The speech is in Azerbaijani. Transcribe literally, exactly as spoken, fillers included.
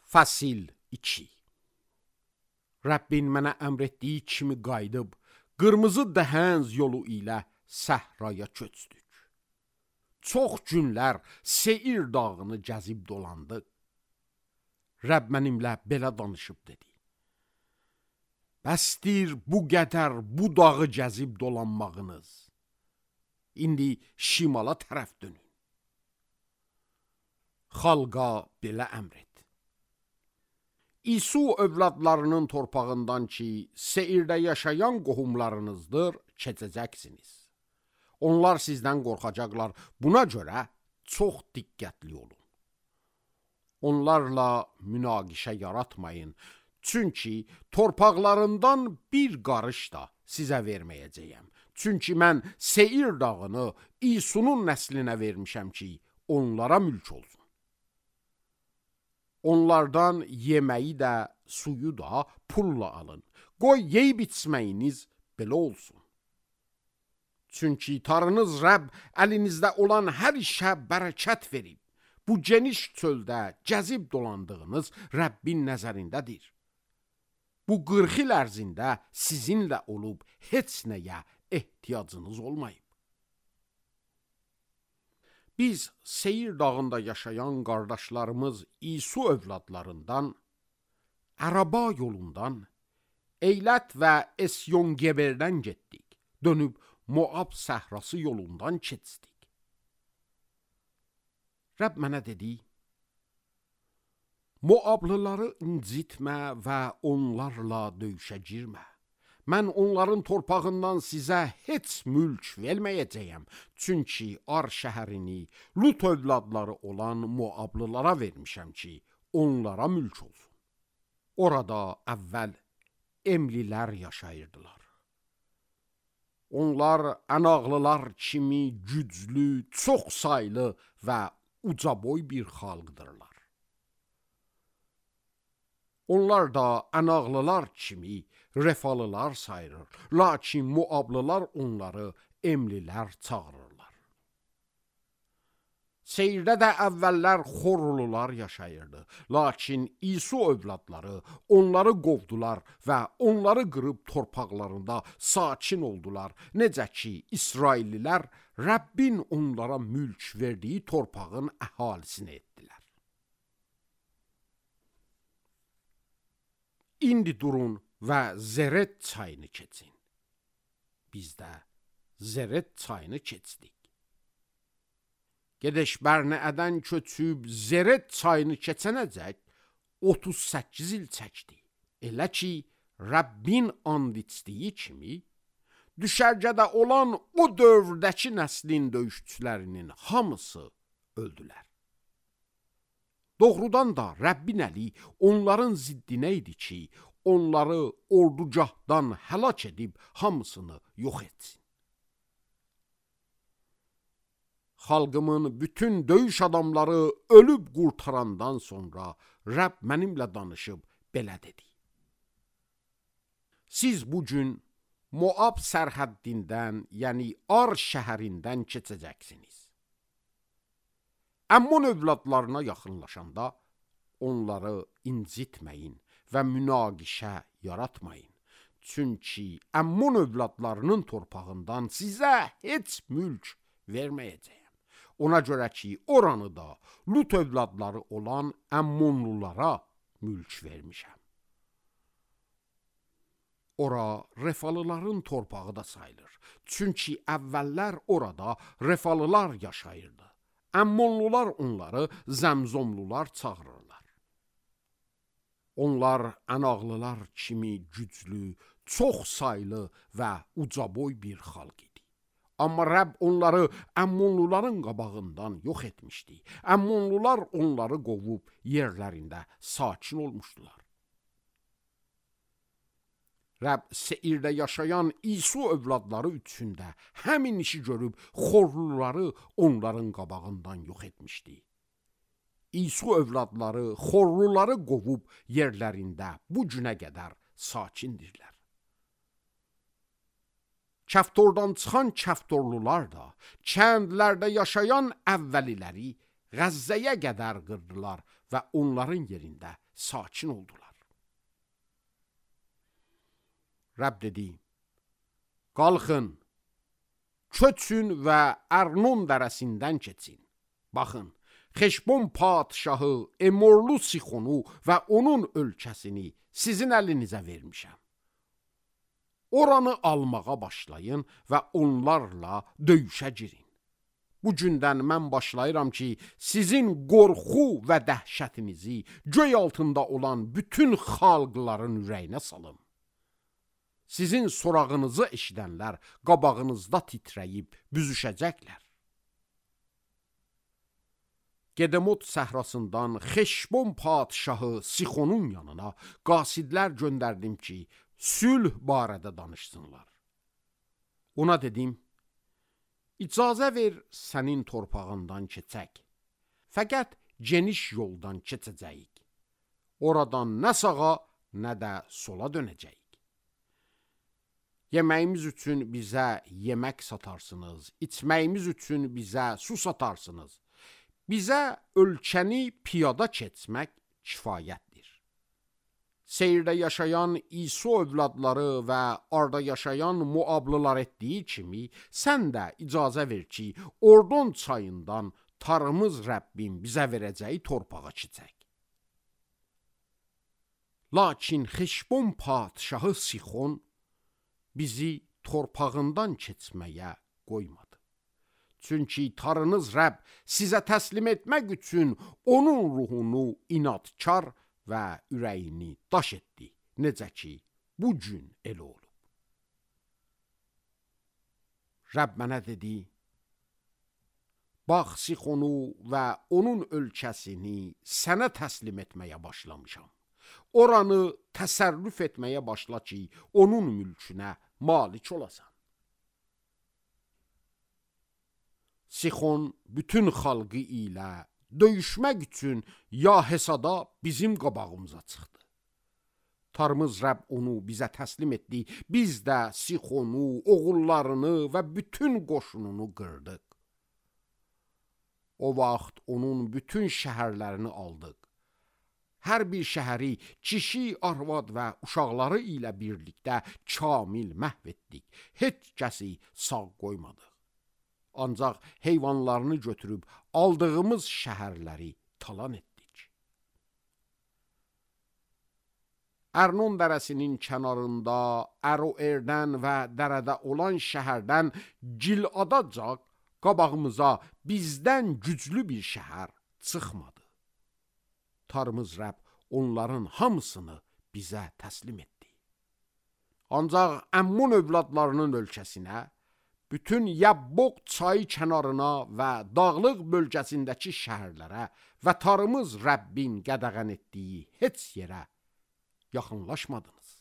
Fəsil iki. Rəbbin mənə əmr etdiyi kimi qayıdıb, qırmızı dəhənz yolu ilə səhraya köçdük. Çox günlər Seir dağını gəzib dolandıq. Rəbb mənimlə belə danışıb dedi. Bəsdir bu qədər bu dağı gəzib dolanmağınız. İndi şimala tərəf dönün. Xalqa belə əmr et. İsu övladlarının torpağından ki, Seirdə yaşayan qohumlarınızdır, keçəcəksiniz. Onlar sizdən qorxacaqlar, buna görə çox diqqətli olun. Onlarla münaqişə yaratmayın, çünki torpaqlarından bir qarış da sizə verməyəcəyəm. Çünki mən Seir dağını İsunun nəslinə vermişəm ki, onlara mülk olsun. Onlardan yeməyi də, suyu da pulla alın. Qoy yeyib içməyiniz belə olsun. Çünki Tanrınız Rəbb əlinizdə olan hər işə bərəkət verib. Bu geniş çöldə gəzib dolandığınız Rəbbin nəzərindədir. Bu qırx il ərzində sizinlə olub heç nəyə ehtiyacınız olmayıb. Biz Seir dağında yaşayan qardaşlarımız İsu övladlarından, Əraba yolundan, Eylət və Esyon-Geberdən getdik. Dönüb Moab səhrası yolundan keçdik. Rəbb mənə dedi, Moablıları incitmə və onlarla döyüşə girmə. Mən onların torpağından sizə heç mülk verməyəcəyəm. Çünki Ar şəhərini Lut övladları olan Moablılara vermişəm ki, onlara mülk olsun. Orada əvvəl Emlilər yaşayırdılar. Onlar ənağlılar kimi güclü, çox saylı və ucaboy bir xalqdırlar. Onlar da ənağlılar kimi refalılar sayırır. Lakin Moablılar onları Emlilər çağırırlar. Seirdə də əvvəllər Xorlular yaşayırdı. Lakin İsu övladları onları qovdular və onları qırıb torpaqlarında sakin oldular. Necə ki, İsraillilər Rəbbin onlara mülk verdiyi torpağın əhalisini etdilər. İndi durun və Zeret çayını keçin. Biz də Zeret çayını keçdik. Gedeş Bərnəədən köçüb Zeret çayını keçənəcək otuz səkkiz il çəkdi. Elə ki, Rəbbin and içdiyi kimi, düşərgədə olan o dövrdəki nəslin döyüşçülərinin hamısı öldülər. Doğrudan da Rəbbin əli onların ziddinə idi ki, onları ordugahdan həlak edib hamısını yox etsin. Xalqımın bütün döyüş adamları ölüb qurtarandan sonra Rəbb mənimlə danışıb belə dedi. Siz bugün Moab sərhəddindən, yəni Ar şəhərindən keçəcəksiniz. Əmmon övladlarına yaxınlaşanda onları incitməyin və münaqişə yaratmayın. Çünki Əmmon övladlarının torpağından sizə heç mülk verməyəcəyəm. Ona görə ki, oranı da Lut övladları olan Əmmonlulara mülk vermişəm. Ora refalıların torpağı da sayılır. Çünki əvvəllər orada refalılar yaşayırdı. Əmmonlular onları Zəmzomlular çağırırlar. Onlar ənağlılar kimi güclü, çox saylı və ucaboy bir xalq idi. Amma Rəbb onları Əmmonluların qabağından yox etmişdi. Əmmonlular onları qovub yerlərində sakin olmuşdular. Rəbb Seirdə yaşayan İsu övladları üçündə həmin işi görüb Xorluları onların qabağından yox etmişdi. İsu övladları Xorluları qovub yerlərində bu günə qədər sakindirlər. Kəftordan çıxan kəftorlular da kəndlərdə yaşayan əvvəliləri Qəzzəyə qədər qırdılar və onların yerində sakin oldular. Rəbb dedi, qalxın, köçün və Ərnon dərəsindən keçin. Baxın, Xeşbon padşahı Emorlu Sixonu və onun ölkəsini sizin əlinizə vermişəm. Oranı almağa başlayın və onlarla döyüşə girin. Bu gündən mən başlayıram ki, sizin qorxu və dəhşətinizi göy altında olan bütün xalqların ürəyinə salım. Sizin sorağınızı eşidənlər qabağınızda titrəyib büzüşəcəklər. Gedemot səhrasından Xeşbon padşahı Sixonun yanına qasidlər göndərdim ki, sülh barədə danışsınlar. Ona dedim, icazə ver sənin torpağından keçək. Fəqət geniş yoldan keçəcəyik. Oradan nə sağa, nə də sola dönəcəyik. Yeməyimiz üçün bizə yemək satarsınız, içməyimiz üçün bizə su satarsınız. Bizə ölkəni piyada keçmək kifayətdir. Seyirdə yaşayan İso övladları və arda yaşayan Muablılar etdiyi kimi, sən də icazə ver ki, Ordon çayından tarımız Rəbbim bizə verəcəyi torpağa keçək. Lakin Xeşbon padşahı Sixon bizi torpağından keçməyə qoymadı. Çünki tarınız Rəbb sizə təslim etmək üçün onun ruhunu inadkar və ürəyini daş etdi. Necə ki, bu gün elə olub. Rəbb mənə dedi, bax Sixonu və onun ölkəsini sənə təslim etməyə başlamışam. Oranı təsərrüf etməyə başla ki, onun mülkünə malik olasan. Sixon bütün xalqı ilə döyüşmək üçün Yahesada bizim qabağımıza çıxdı. Tarımız Rəbb onu bizə təslim etdi. Biz də Sixonu, oğullarını və bütün qoşununu qırdıq. O vaxt onun bütün şəhərlərini aldıq. Hər bir şəhəri kişi, arvad və uşaqları ilə birlikdə kamil məhv etdik. Heç kəsi sağ qoymadıq. Ancaq heyvanlarını götürüb aldığımız şəhərləri talan etdik. Ərnon dərəsinin kənarında Əroerdən və dərədə olan şəhərdən Giladacaq qabağımıza bizdən güclü bir şəhər çıxmadı. Tarımız Rəbb onların hamısını bizə təslim etdi. Ancaq Əmmun övladlarının ölkəsinə, bütün Yabboq çayı kənarına və dağlıq bölgəsindəki şəhərlərə və tarımız Rəbbin qədəğən etdiyi heç yerə yaxınlaşmadınız.